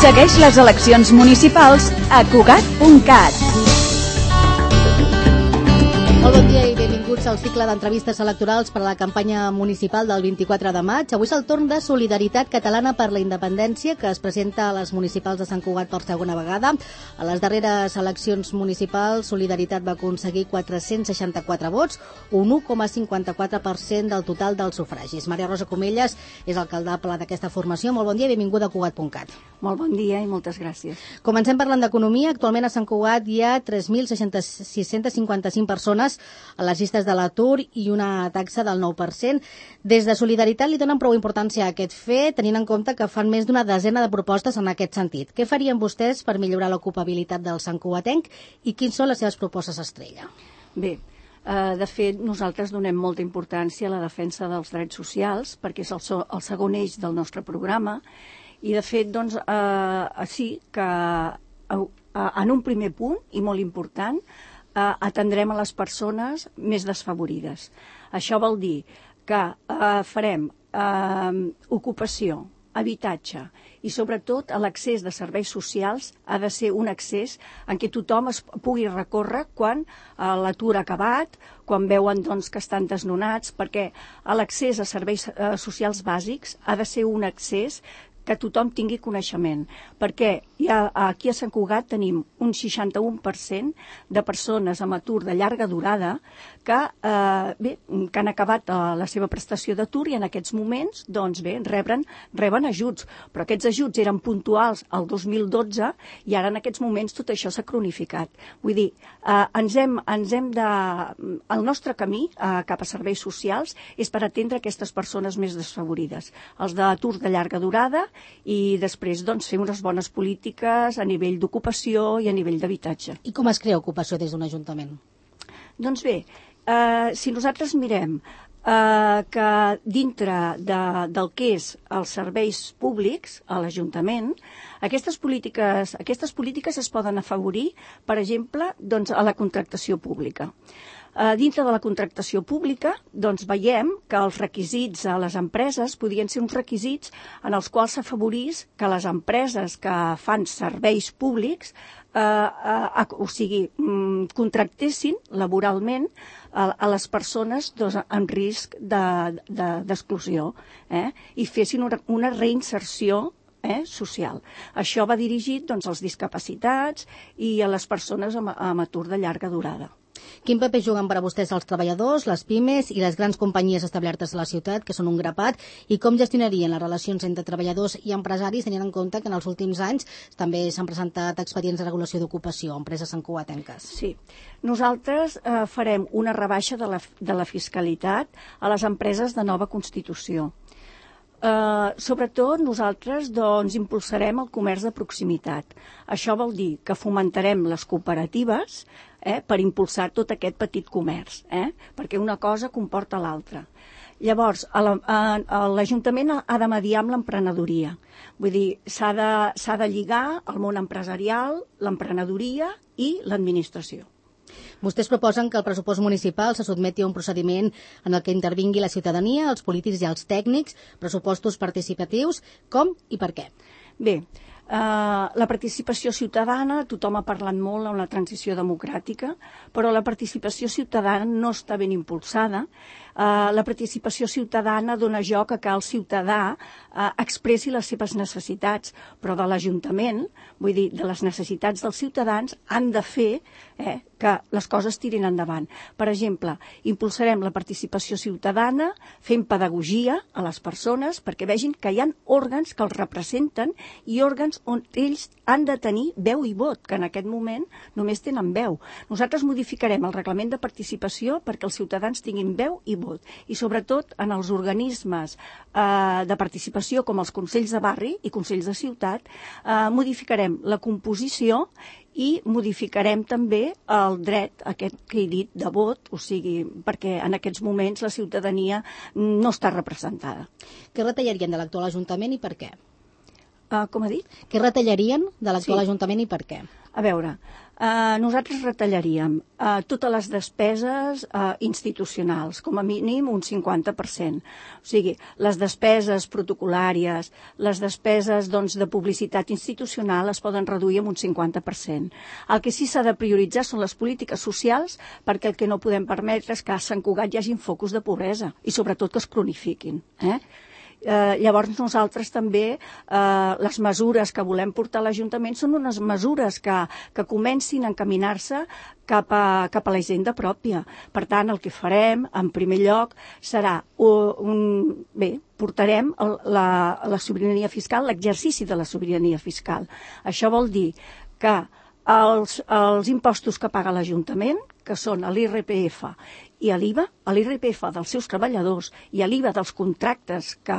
Segueix les eleccions municipals a Cugat.cat. Molt bon dia i benvinguts al cicle d'entrevistes electorals per a la campanya municipal del 24 de maig. Avui és el torn de Solidaritat Catalana per la Independència, que es presenta a les municipals de Sant Cugat per segona vegada. A les darreres eleccions municipals, Solidaritat va aconseguir 464 vots, un 1,54% del total dels sufragis. Maria Rosa Comelles és alcaldable d'aquesta formació. Molt bon dia i benvinguda a Cugat.cat. Molt bon dia i moltes gràcies. Comencem parlant d'economia. Actualment a Sant Cugat hi ha 3.655 persones a les llistes de l'atur i una taxa del 9%. Des de Solidaritat li donen prou importància a aquest fet, tenint en compte que fan més d'una desena de propostes en aquest sentit. Què farien vostès per millorar l'ocupabilitat del santcugatenc i quins són les seves propostes estrella? Bé, de fet, nosaltres donem molta importància a la defensa dels drets socials, perquè és el segon eix del nostre programa, i de fet, doncs, sí que en un primer punt, i molt important, atendrem a les persones més desfavorides. Això vol dir que farem ocupació, habitatge i sobretot l'accés de serveis socials ha de ser un accés en què tothom es pugui recórrer quan l'atur ha acabat, quan veuen doncs, que estan desnonats, perquè l'accés a serveis socials bàsics ha de ser un accés que tothom tingui coneixement, perquè aquí a Sant Cugat tenim un 61% de persones amb atur de llarga durada que han acabat la seva prestació d'atur i en aquests moments doncs reben ajuts, però aquests ajuts eren puntuals al 2012 i ara en aquests moments tot això s'ha cronificat. Vull dir, el nostre camí cap a serveis socials és per atendre aquestes persones més desfavorides, els d'atur de llarga durada, i després doncs, fer unes bones polítiques a nivell d'ocupació i a nivell d'habitatge. I com es crea ocupació des d'un ajuntament? Doncs bé, si nosaltres mirem que dintre del que és els serveis públics a l'Ajuntament, aquestes polítiques es poden afavorir, per exemple, doncs, a la contractació pública. Dintre de la contractació pública doncs, veiem que els requisits a les empreses podien ser uns requisits en els quals s'afavorís que les empreses que fan serveis públics contractessin laboralment a les persones en risc d'exclusió i fessin una reinserció social. Això va dirigit doncs, als discapacitats i a les persones amb atur de llarga durada. Quin paper juguen per a vostès els treballadors, les pimes i les grans companyies establertes a la ciutat, que són un grapat, i com gestionarien les relacions entre treballadors i empresaris, tenint en compte que en els últims anys també s'han presentat expedients de regulació d'ocupació a empreses santcugatenques? Sí. Nosaltres farem una rebaixa de la fiscalitat a les empreses de nova constitució. Sobretot nosaltres doncs, impulsarem el comerç de proximitat. Això vol dir que fomentarem les cooperatives per impulsar tot aquest petit comerç, perquè una cosa comporta l'altra. Llavors, l'Ajuntament ha de mediar amb l'emprenedoria. Vull dir, s'ha de lligar el món empresarial, l'emprenedoria i l'administració. Vostès proposen que el pressupost municipal se sotmeti a un procediment en el que intervingui la ciutadania, els polítics i els tècnics, pressupostos participatius. Com i per què? Bé, la participació ciutadana, tothom ha parlat molt en la transició democràtica, però la participació ciutadana no està ben impulsada. La participació ciutadana dona joc a que el ciutadà expressi les seves necessitats, però de l'Ajuntament, vull dir, de les necessitats dels ciutadans, han de fer que les coses tirin endavant. Per exemple, impulsarem la participació ciutadana fent pedagogia a les persones perquè vegin que hi ha òrgans que els representen i òrgans on ells han de tenir veu i vot, que en aquest moment només tenen veu. Nosaltres modificarem el reglament de participació perquè els ciutadans tinguin veu i vot. I sobretot en els organismes de participació com els consells de barri i consells de ciutat modificarem la composició i modificarem també el dret aquest que he dit de vot, o sigui, perquè en aquests moments la ciutadania no està representada. Què retallarien de l'actual Ajuntament i per què? Com ha dit? Què retallarien de l'actual Ajuntament i per què? A veure, Nosaltres retallaríem totes les despeses institucionals, com a mínim un 50%. O sigui, les despeses protocolàries, les despeses de publicitat institucional es poden reduir en un 50%. El que sí s'ha de prioritzar són les polítiques socials, perquè el que no podem permetre és que a Sant Cugat hi hagi focus de pobresa i sobretot que es cronifiquin. Llavors nosaltres també les mesures que volem portar a l'Ajuntament són unes mesures que comencin a encaminar-se cap a la hisenda pròpia. Per tant, el que farem, en primer lloc, serà portarem la sobirania fiscal, l'exercici de la sobirania fiscal. Això vol dir que els impostos que paga l'Ajuntament, que són l'IRPF i l'IVA, l'IRPF dels seus treballadors i l'IVA dels contractes que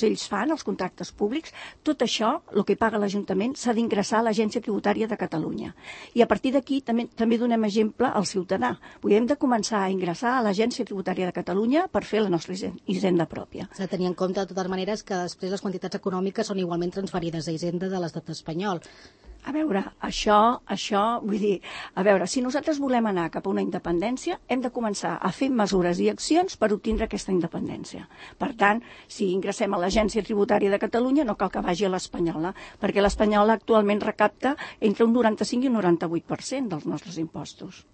ells fan, els contractes públics, tot això, el que paga l'Ajuntament, s'ha d'ingressar a l'Agència Tributària de Catalunya. I a partir d'aquí també donem exemple al ciutadà. Hem de començar a ingressar a l'Agència Tributària de Catalunya per fer la nostra hisenda pròpia. S'ha de tenir en compte, de totes maneres, que després les quantitats econòmiques són igualment transferides a Hisenda de l'estat espanyol. A veure, això, vull dir, si nosaltres volem anar cap a una independència, hem de començar a fer mesures i accions per obtindre aquesta independència. Per tant, si ingressem a l'Agència Tributària de Catalunya, no cal que vagi a l'espanyola, perquè l'espanyola actualment recapta entre un 95 i un 98% dels nostres impostos.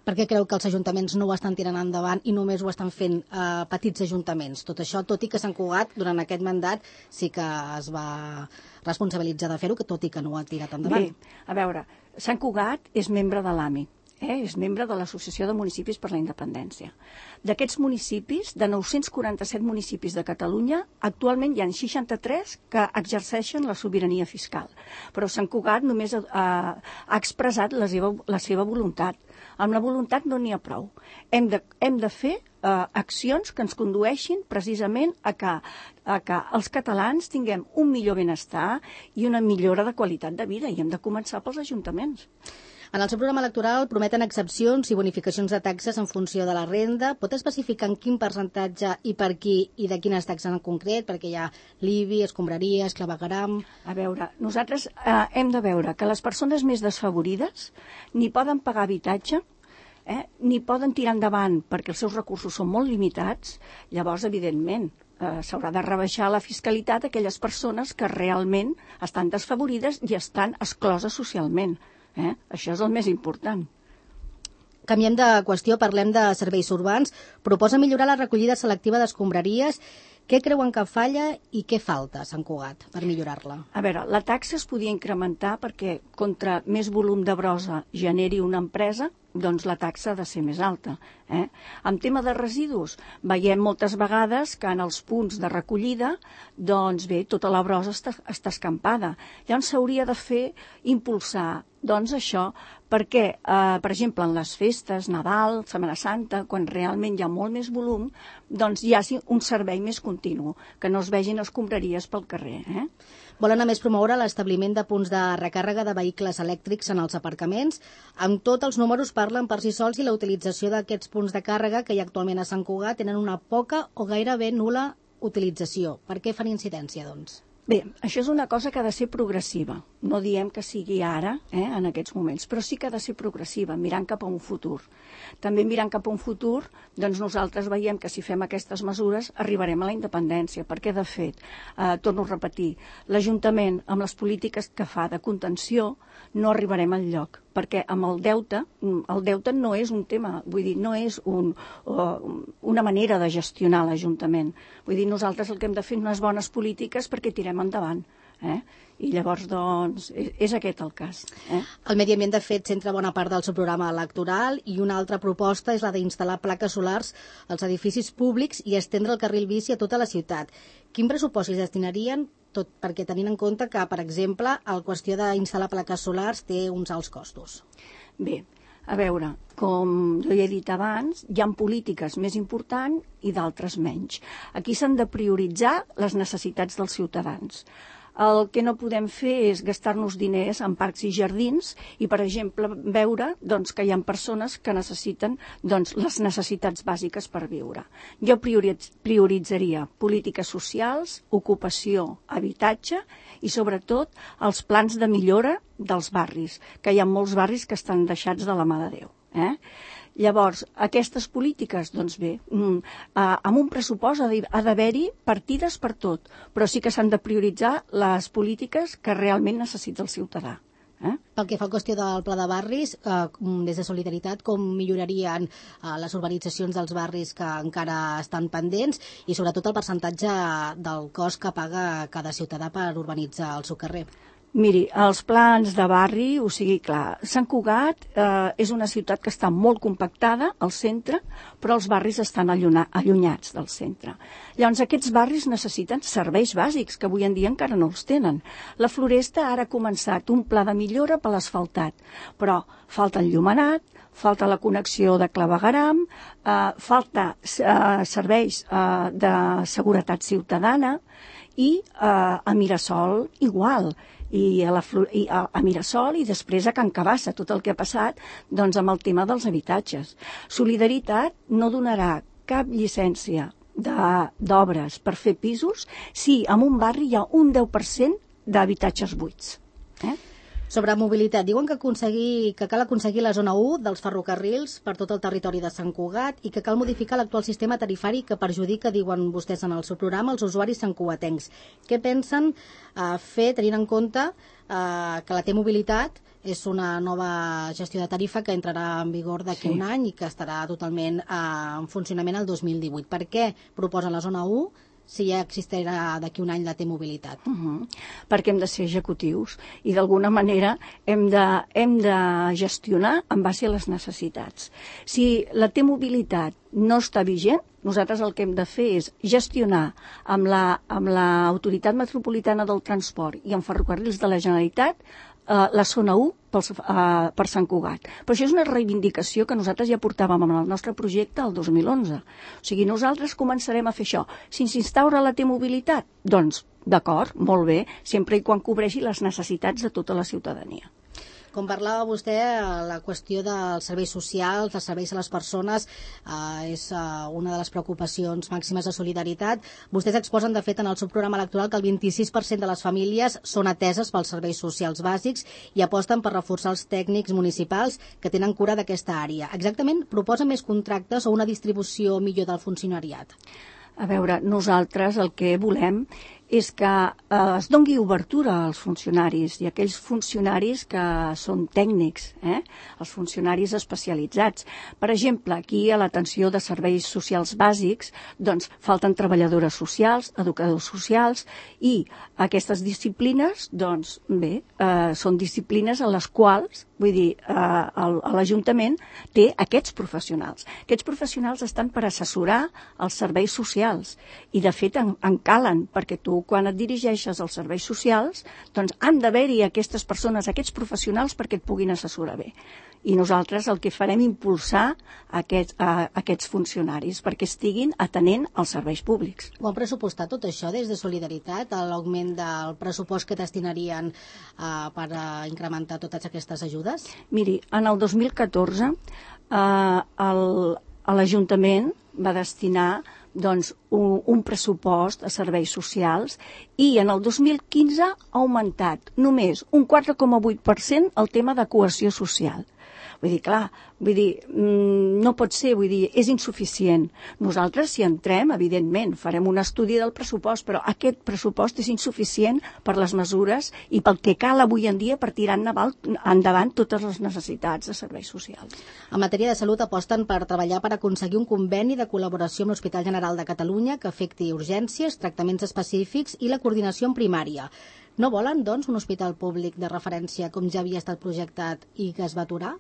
Per què creu que els ajuntaments no ho estan tirant endavant i només ho estan fent petits ajuntaments? Tot això, tot i que Sant Cugat, durant aquest mandat, sí que es va responsabilitzar de fer-ho, tot i que no ho ha tirat endavant. Bé, a veure, Sant Cugat és membre de l'AMI, és membre de l'Associació de Municipis per la Independència. D'aquests municipis, de 947 municipis de Catalunya, actualment hi ha 63 que exerceixen la sobirania fiscal. Però Sant Cugat només ha expressat la seva voluntat. Amb la voluntat no n'hi ha prou. Hem de fer accions que ens condueixin precisament a que els catalans tinguem un millor benestar i una millora de qualitat de vida, i hem de començar pels ajuntaments. En el seu programa electoral prometen excepcions i bonificacions de taxes en funció de la renda. Pot especificar en quin percentatge i per qui i de quines taxes en concret? Perquè hi ha l'IBI, escombraries, clavegueram... A veure, nosaltres hem de veure que les persones més desfavorides ni poden pagar habitatge, ni poden tirar endavant perquè els seus recursos són molt limitats. Llavors, evidentment, s'haurà de rebaixar la fiscalitat a aquelles persones que realment estan desfavorides i estan excloses socialment. Això és el més important. Canviem de qüestió, parlem de serveis urbans. Proposa millorar la recollida selectiva d'escombraries. Què creuen que falla i què falta a Sant Cugat per millorar-la? A veure, la taxa es podia incrementar perquè contra més volum de brossa generi una empresa, doncs la taxa ha de ser més alta. En tema de residus, veiem moltes vegades que en els punts de recollida, doncs bé, tota la brossa està escampada. Llavors s'hauria de impulsar això, perquè, per exemple, en les festes, Nadal, Setmana Santa, quan realment hi ha molt més volum, doncs hi ha un servei més continu, que no es vegin escombraries pel carrer. Volen a més promoure l'establiment de punts de recàrrega de vehicles elèctrics en els aparcaments. Amb tot, els números parlen per si sols i la utilització d'aquests punts de càrrega que hi ha actualment a Sant Cugat tenen una poca o gairebé nul·la utilització. Per què fan incidència, doncs? Bé, això és una cosa que ha de ser progressiva. No diem que sigui ara, en aquests moments, però sí que ha de ser progressiva, mirant cap a un futur. També mirant cap a un futur, doncs nosaltres veiem que si fem aquestes mesures arribarem a la independència, perquè de fet, torno a repetir, l'Ajuntament amb les polítiques que fa de contenció no arribarem al lloc, perquè amb el deute no és un tema, vull dir, no és una manera de gestionar l'Ajuntament. Vull dir, nosaltres el que hem de fer unes bones polítiques perquè tirem endavant. I llavors, doncs, és aquest el cas. El Medi Ambient, de fet, centra bona part del seu programa electoral i una altra proposta és la d'instal·lar plaques solars als edificis públics i estendre el carril bici a tota la ciutat. Quin pressupost hi destinarien? Tot perquè tenint en compte que, per exemple, la qüestió d'instal·lar plaques solars té uns alts costos. Bé, a veure, com jo he dit abans, hi ha polítiques més importants i d'altres menys. Aquí s'han de prioritzar les necessitats dels ciutadans. El que no podem fer és gastar-nos diners en parcs i jardins i, per exemple, veure doncs, que hi ha persones que necessiten doncs, les necessitats bàsiques per viure. Jo prioritzaria polítiques socials, ocupació, habitatge i, sobretot, els plans de millora dels barris, que hi ha molts barris que estan deixats de la mà de Déu. Llavors, aquestes polítiques, doncs bé, amb un pressupost ha d'haver-hi partides per tot, però sí que s'han de prioritzar les polítiques que realment necessita el ciutadà. Pel que fa a la qüestió del pla de barris, des de Solidaritat, com millorarien les urbanitzacions dels barris que encara estan pendents i sobretot el percentatge del cost que paga cada ciutadà per urbanitzar el seu carrer? Miri, els plans de barri, o sigui, clar, Sant Cugat és una ciutat que està molt compactada al centre, però els barris estan allunyats del centre. Llavors, aquests barris necessiten serveis bàsics, que avui en dia encara no els tenen. La Floresta ara ha començat un pla de millora per l'asfaltat, però falta enllumenat, falta la connexió de clavegueram, falta serveis de seguretat ciutadana i a Mirasol igual. I a Mirasol i després a Can Cabassa, tot el que ha passat doncs, amb el tema dels habitatges. Solidaritat no donarà cap llicència d'obres per fer pisos si en un barri hi ha un 10% d'habitatges buits. Sobre mobilitat, diuen que cal aconseguir la zona 1 dels ferrocarrils per tot el territori de Sant Cugat i que cal modificar l'actual sistema tarifari que perjudica, diuen vostès en el seu programa, els usuaris santcugatencs. Què pensen fer tenint en compte que la T-Mobilitat és una nova gestió de tarifa que entrarà en vigor d'aquí un any i que estarà totalment en funcionament el 2018? Per què proposen la zona 1 si ja existirà d'aquí un any la T-Mobilitat? Perquè hem de ser executius i d'alguna manera hem de gestionar en base a les necessitats. Si la T-Mobilitat no està vigent, nosaltres el que hem de fer és gestionar amb l'Autoritat Metropolitana del Transport i amb Ferrocarrils de la Generalitat la zona 1 per Sant Cugat. Però això és una reivindicació que nosaltres ja portàvem en el nostre projecte el 2011. O sigui, nosaltres començarem a fer això. Si s'instaura la T-Mobilitat, doncs, d'acord, molt bé, sempre i quan cobreixi les necessitats de tota la ciutadania. Com parlava vostè, la qüestió dels serveis socials, dels serveis a les persones, és una de les preocupacions màximes de Solidaritat. Vostès exposen, de fet, en el seu programa electoral que el 26% de les famílies són ateses pels serveis socials bàsics i aposten per reforçar els tècnics municipals que tenen cura d'aquesta àrea. Exactament, proposen més contractes o una distribució millor del funcionariat? A veure, nosaltres el que volem és que es doni obertura als funcionaris i aquells funcionaris que són tècnics, els funcionaris especialitzats. Per exemple, aquí a l'atenció de serveis socials bàsics, doncs falten treballadores socials, educadors socials i aquestes disciplines, doncs bé, són disciplines en les quals, vull dir, l'Ajuntament té aquests professionals. Aquests professionals estan per assessorar els serveis socials i, de fet, en calen, perquè tu, quan et dirigeixes als serveis socials, doncs han d'haver-hi aquestes persones, aquests professionals, perquè et puguin assessorar bé. I nosaltres el que farem impulsar aquests funcionaris perquè estiguin atenent als serveis públics. Ho han pressupostat tot això des de Solidaritat, l'augment del pressupost que destinarien per incrementar totes aquestes ajudes? Miri, en el 2014 l'Ajuntament va destinar doncs, un pressupost a serveis socials i en el 2015 ha augmentat només un 4,8% el tema de cohesió social. Vull dir, clar, no pot ser, és insuficient. Nosaltres, si entrem, evidentment, farem un estudi del pressupost, però aquest pressupost és insuficient per les mesures i pel que cal avui en dia per tirar endavant totes les necessitats de serveis socials. En matèria de salut aposten per treballar per aconseguir un conveni de col·laboració amb l'Hospital General de Catalunya que afecti urgències, tractaments específics i la coordinació en primària. No volen, doncs, un hospital públic de referència com ja havia estat projectat i que es va aturar?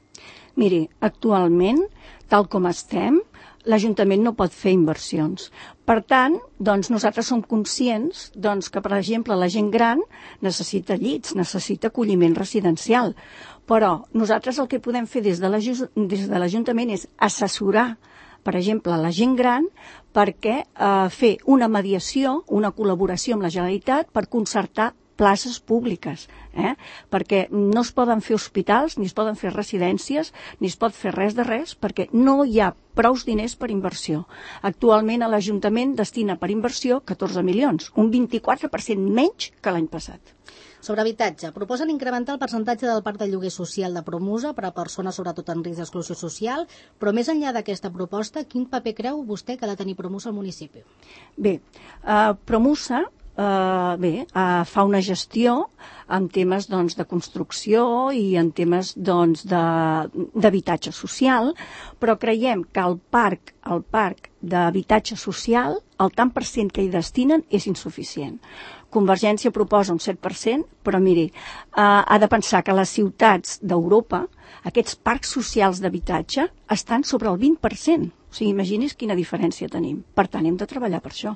Miri, actualment, tal com estem, l'Ajuntament no pot fer inversions. Per tant, doncs, nosaltres som conscients que, per exemple, la gent gran necessita llits, necessita acolliment residencial. Però nosaltres el que podem fer des de l'Ajuntament és assessorar, per exemple, la gent gran perquè fer una mediació, una col·laboració amb la Generalitat per concertar places públiques, perquè no es poden fer hospitals, ni es poden fer residències, ni es pot fer res de res, perquè no hi ha prous diners per inversió. Actualment l'Ajuntament destina per inversió 14 milions, un 24% menys que l'any passat. Sobre habitatge, proposen incrementar el percentatge del parc de lloguer social de Promusa per a persones sobretot en risc d'exclusió social, però més enllà d'aquesta proposta, quin paper creu vostè que ha de tenir Promusa al municipi? Bé, Promusa fa una gestió en temes de construcció i en temes d'habitatge social, però creiem que el parc d'habitatge social, el tant per cent que hi destinen és insuficient. Convergència proposa un 7%, però miri, ha de pensar que les ciutats d'Europa, aquests parcs socials d'habitatge, estan sobre el 20%. O sigui, imagini's quina diferència tenim. Per tant, hem de treballar per això.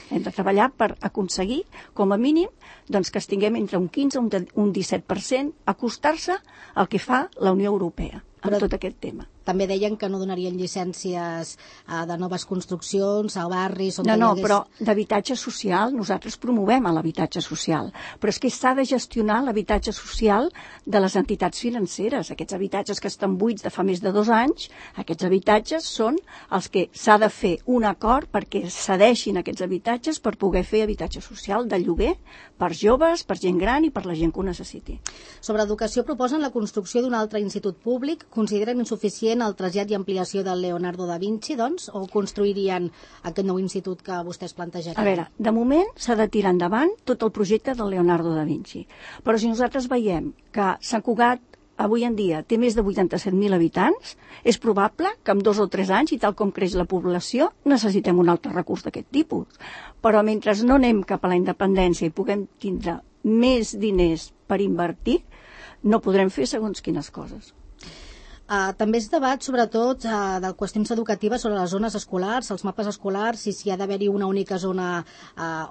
Hem de treballar per aconseguir, com a mínim, que es tinguem entre un 15 i un 17%, acostar-se al que fa la Unió Europea amb tot aquest tema. També deien que no donarien llicències de noves construccions a barris on No, però d'habitatge social, nosaltres promovem l'habitatge social, però és que s'ha de gestionar l'habitatge social de les entitats financeres. Aquests habitatges que estan buits de fa més de 2 anys, aquests habitatges són els que s'ha de fer un acord perquè cedeixin aquests habitatges per poder fer habitatge social de lloguer per joves, per gent gran i per la gent que ho necessiti. Sobre educació proposen la construcció d'un altre institut públic. Consideren insuficient el trasllat i ampliació del Leonardo da Vinci, doncs, o construirien aquest nou institut que vostès plantejarien? A veure, de moment s'ha de tirar endavant tot el projecte del Leonardo da Vinci. Però si nosaltres veiem que Sant Cugat avui en dia té més de 87.000 habitants, és probable que en 2 o 3 anys, i tal com creix la població, necessitem un altre recurs d'aquest tipus. Però mentre no anem cap a la independència i puguem tindre més diners per invertir, no podrem fer segons quines coses. També es debat, sobretot, de qüestions educatives sobre les zones escolars, els mapes escolars, si ha d'haver-hi una única zona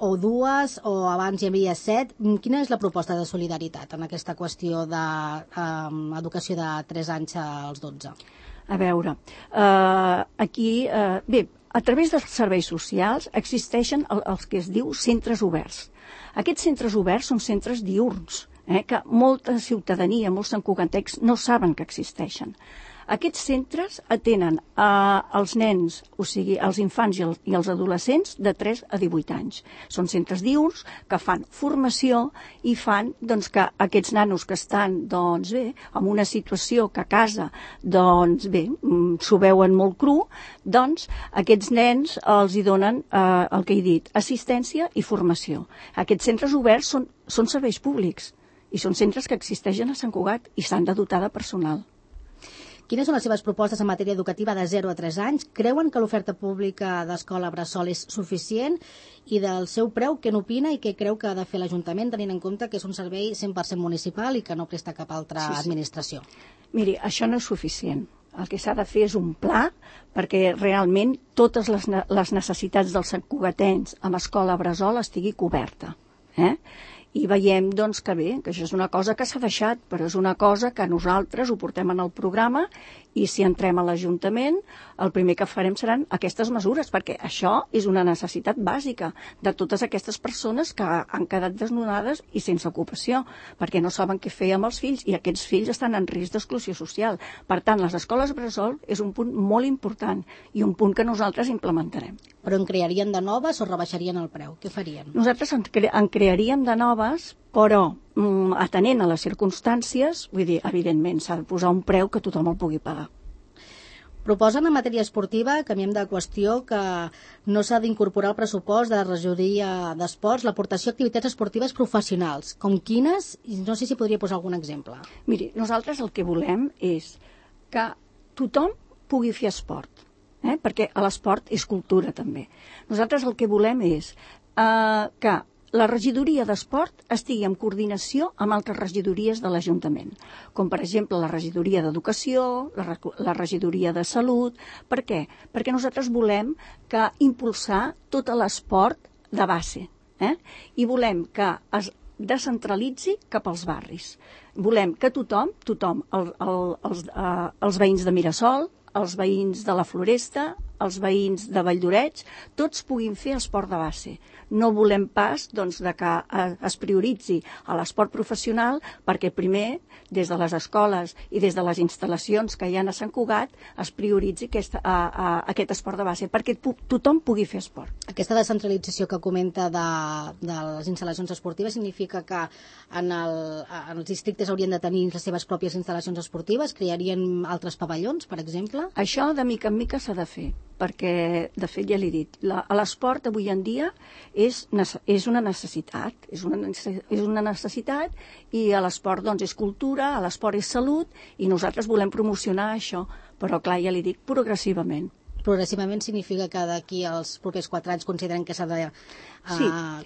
o dues, o abans hi havia 7. Quina és la proposta de solidaritat en aquesta qüestió d'educació de 3 anys als 12? A veure, aquí, a través dels serveis socials existeixen els que es diu centres oberts. Aquests centres oberts són centres diürns, que molta ciutadania, molts santcugatencs no saben que existeixen. Aquests centres atenen els nens, o sigui, els infants i els adolescents de 3 a 18 anys. Són centres diürns que fan formació i fan que aquests nanos que estan en una situació que a casa s'ho veuen molt cru, aquests nens els hi donen el que he dit, assistència i formació. Aquests centres oberts són serveis públics i són centres que existeixen a Sant Cugat i s'han de dotar de personal. Quines són les seves propostes en matèria educativa de 0 a 3 anys? Creuen que l'oferta pública d'escola bressol és suficient? I del seu preu, què n'opina i què creu que ha de fer l'Ajuntament, tenint en compte que és un servei 100% municipal i que no presta cap altra administració? Miri, això no és suficient. El que s'ha de fer és un pla perquè realment totes les necessitats dels santcugatens amb escola bressol estigui coberta. I veiem que això és una cosa que s'ha deixat, però és una cosa que nosaltres ho portem en el programa i si entrem a l'Ajuntament el primer que farem seran aquestes mesures, perquè això és una necessitat bàsica de totes aquestes persones que han quedat desnonades i sense ocupació, perquè no saben què fer amb els fills i aquests fills estan en risc d'exclusió social. Per tant, les escoles bressol és un punt molt important i un punt que nosaltres implementarem. Però en crearien de noves o rebaixarien el preu? Què farien? Nosaltres en crearíem de noves, però atenent a les circumstàncies, vull dir, evidentment, s'ha de posar un preu que tothom el pugui pagar. Proposen en matèria esportiva, canviem de qüestió, que no s'ha d'incorporar al pressupost de la regidoria d'esports l'aportació a activitats esportives professionals. Com quines? No sé si podria posar algun exemple. Miri, nosaltres el que volem és que tothom pugui fer esport, perquè l'esport és cultura també. Nosaltres el que volem és que la regidoria d'esport estigui en coordinació amb altres regidories de l'Ajuntament, com per exemple la regidoria d'educació, la regidoria de salut. Per què? Perquè nosaltres volem impulsar tot l'esport de base, i volem que es descentralitzi cap als barris. Volem que tothom, els veïns de Mirasol, els veïns de la Floresta, els veïns de Valldoreix, tots puguin fer esport de base. No volem pas doncs, que es prioritzi a l'esport professional perquè primer, des de les escoles i des de les instal·lacions que hi ha a Sant Cugat, es prioritzi aquest esport de base, perquè tothom pugui fer esport. Aquesta descentralització que comenta de les instal·lacions esportives significa que en els districtes haurien de tenir les seves pròpies instal·lacions esportives, crearien altres pavellons, per exemple? Això de mica en mica s'ha de fer, perquè, de fet, ja l'he dit, l'esport avui en dia és una necessitat, i l'esport doncs, és cultura, l'esport és salut, i nosaltres volem promocionar això, però clar, ja li dic, progressivament. Progressivament significa que d'aquí als propers 4 anys consideren que s'ha de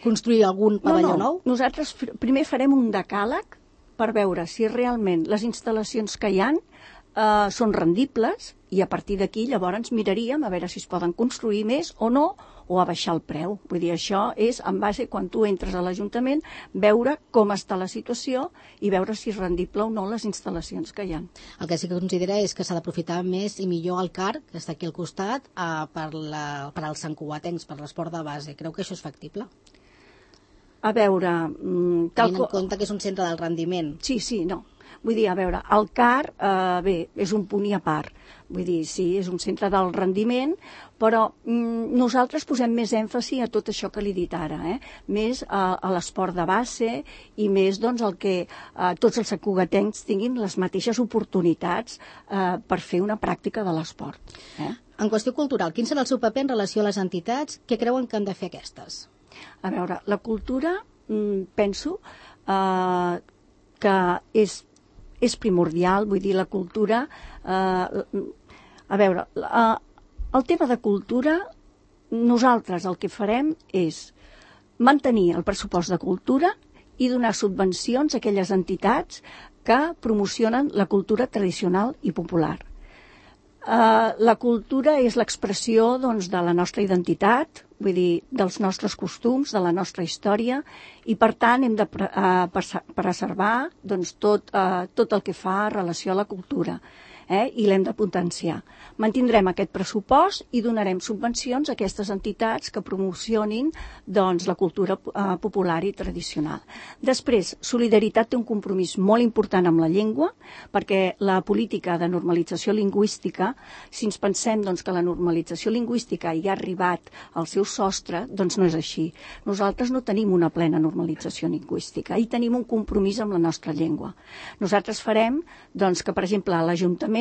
construir algun pavelló nou? Nosaltres primer farem un decàleg per veure si realment les instal·lacions que hi ha són rendibles, i a partir d'aquí llavors miraríem a veure si es poden construir més o no, o a baixar el preu. Vull dir, això és en base, quan tu entres a l'Ajuntament, veure com està la situació i veure si és rendible o no les instal·lacions que hi ha. El que sí que considera és que s'ha d'aprofitar més i millor el CAR, que està aquí al costat, per als santcugatencs, per l'esport de base. Creu que això és factible? A veure... Tenint en compte que és un centre del rendiment. Sí, no. Vull dir, a veure, el CAR, bé, és un punt i a part. Vull dir, sí, és un centre del rendiment, però nosaltres posem més èmfasi a tot això que li he dit ara, més a l'esport de base i més doncs, que tots els santcugatencs tinguin les mateixes oportunitats per fer una pràctica de l'esport. En qüestió cultural, quin serà el seu paper en relació a les entitats? Què creuen que han de fer aquestes? A veure, la cultura, penso que és primordial, vull dir, la cultura... A veure, el tema de cultura, nosaltres el que farem és mantenir el pressupost de cultura i donar subvencions a aquelles entitats que promocionen la cultura tradicional i popular. La cultura és l'expressió doncs, de la nostra identitat, vull dir, dels nostres costums, de la nostra història, i per tant hem de preservar doncs, tot el que fa relació a la cultura. I l'hem de potenciar. Mantindrem aquest pressupost i donarem subvencions a aquestes entitats que promocionin doncs, la cultura popular i tradicional. Després, Solidaritat té un compromís molt important amb la llengua, perquè la política de normalització lingüística, si ens pensem doncs, que la normalització lingüística ja ha arribat al seu sostre, doncs no és així. Nosaltres no tenim una plena normalització lingüística i tenim un compromís amb la nostra llengua. Nosaltres farem doncs, que, per exemple, a l'Ajuntament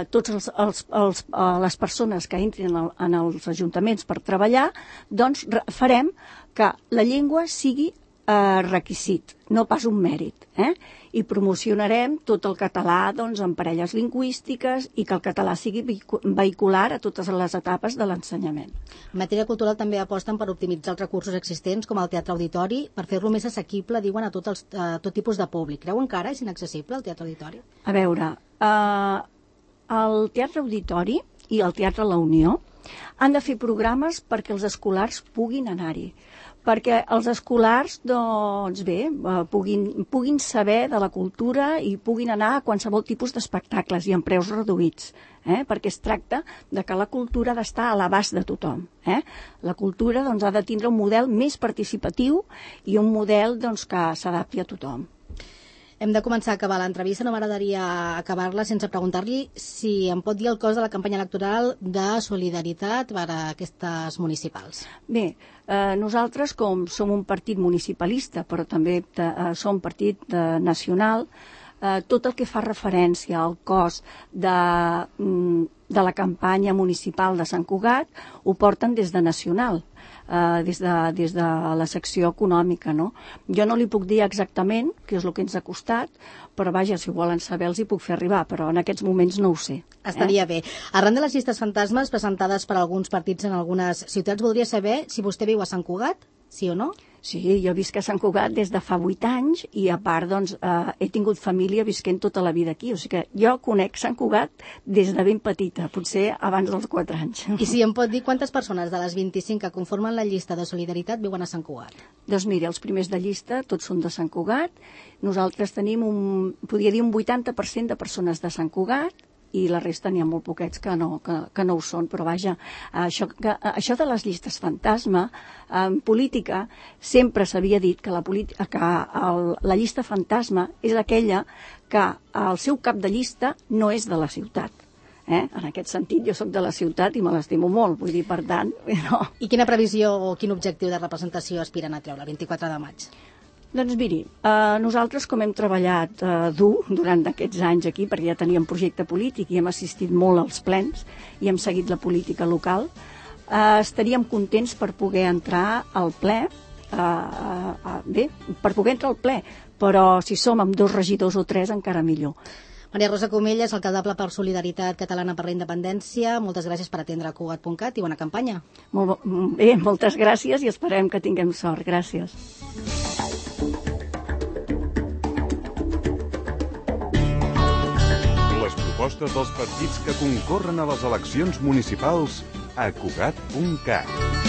totes les persones que entrin en els ajuntaments per treballar, doncs farem que la llengua sigui requisit, no pas un mèrit. I promocionarem tot el català doncs, en parelles lingüístiques i que el català sigui vehicular a totes les etapes de l'ensenyament. En matèria cultural també aposten per optimitzar els recursos existents, com el teatre auditori, per fer-lo més assequible, diuen, a tot tipus de públic. Creuen que ara és inaccessible el teatre auditori? A veure, el teatre auditori i el teatre La Unió han de fer programes perquè els escolars puguin anar-hi, perquè els escolars doncs bé, puguin saber de la cultura i puguin anar a qualsevol tipus d'espectacles i amb preus reduïts, perquè es tracta de que la cultura ha d'estar a l'abast de tothom. La cultura doncs, ha de tindre un model més participatiu i un model doncs, que s'adapti a tothom. Hem de començar a acabar l'entrevista. No m'agradaria acabar-la sense preguntar-li si em pot dir el cost de la campanya electoral de Solidaritat per a aquestes municipals. Bé, nosaltres, com som un partit municipalista, però també som partit nacional, tot el que fa referència al cost de la campanya municipal de Sant Cugat ho porten des de nacional. Des de la secció econòmica, no? Jo no li puc dir exactament què és el que ens ha costat, però vaja, si ho volen saber els hi puc fer arribar, però en aquests moments no ho sé. Estaria bé. Arran de les llistes fantasmes presentades per alguns partits en algunes ciutats, voldria saber si vostè viu a Sant Cugat, sí o no? Sí, jo visc a Sant Cugat des de fa 8 anys i a part doncs, he tingut família visquent tota la vida aquí, o sigui que jo conec Sant Cugat des de ben petita, potser abans dels 4 anys. I si em pot dir quantes persones de les 25 que conformen la llista de Solidaritat viuen a Sant Cugat? Doncs mira, els primers de llista tots són de Sant Cugat, nosaltres tenim podria dir un 80% de persones de Sant Cugat, i la resta n'hi ha molt poquets que no ho són, però vaja, això de les llistes fantasma, en política sempre s'havia dit que la llista fantasma és aquella que el seu cap de llista no és de la ciutat. En aquest sentit, jo sóc de la ciutat i me l'estimo molt, vull dir, per tant... No. I quina previsió o quin objectiu de representació aspiren a treure el 24 de maig? Doncs miri, nosaltres com hem treballat dur durant aquests anys aquí, perquè ja teníem projecte polític i hem assistit molt als plens i hem seguit la política local, estaríem contents per poder entrar al ple, per poder entrar al ple, però si som amb 2 regidors o 3 encara millor. Maria Rosa Comelles, alcaldable per Solidaritat Catalana per la Independència, moltes gràcies per atendre Cugat.cat i bona campanya. Molt bé, moltes gràcies i esperem que tinguem sort. Gràcies. Les propostes dels partits que concorren a les eleccions municipals a Cugat.cat.